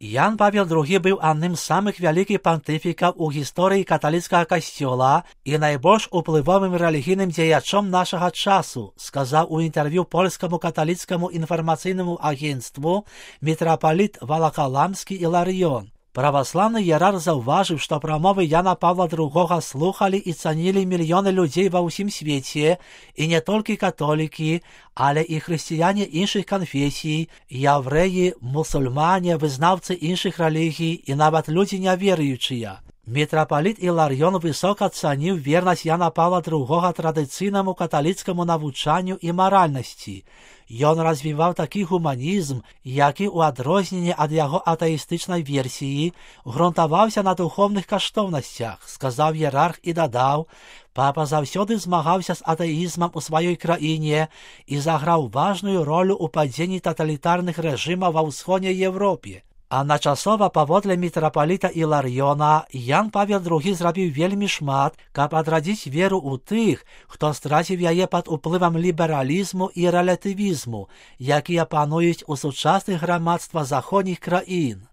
Ян Павел II быў адным з самых вялікіх пантыфікаў у гісторыі каталіцкага касцёла і найбольш уплывовым рэлігійным дзеячом нашага часу, сказаў у інтэрв'ю польскаму каталіцкаму інфармацыйнаму агенцтву мітрапаліт Валакаламскі Іларыён. Праваслаўны іерарх заўважыў, што прамовы Яна Павла II слухалі і цанілі мільёны людзей ва ўсім свеце, і не толькі католікі, але і хрысціяне іншых канфесій, яўрэі, мусульмане, вызнаўцы іншых рэлігій і нават людзі няверуючыя. Мітрапаліт Іларыён высока цаніў вернасць Яна Павла II традыцыйнаму каталіцкаму навучанню і маральнасці. Ён развіваў такі гуманізм, які, у адрозненне ад яго атэістычнай версіі, грунтаваўся на духоўных каштоўнасцях, сказаў іерарх і дадаў: «Папа заўсёды змагаўся з атэізмам у сваёй краіне і заграў важную ролю ў падзенні таталітарных рэжымаў ва ўсходняй Еўропе». Адначасова, паводле мітрапаліта Іларыёна, Ян Павел II зрабіў вельмі шмат, каб адрадзіць веру ў тых, хто страціў яе пад уплывам лібералізму і рэлятывізму, якія пануюць у сучасных грамадствах заходніх краін.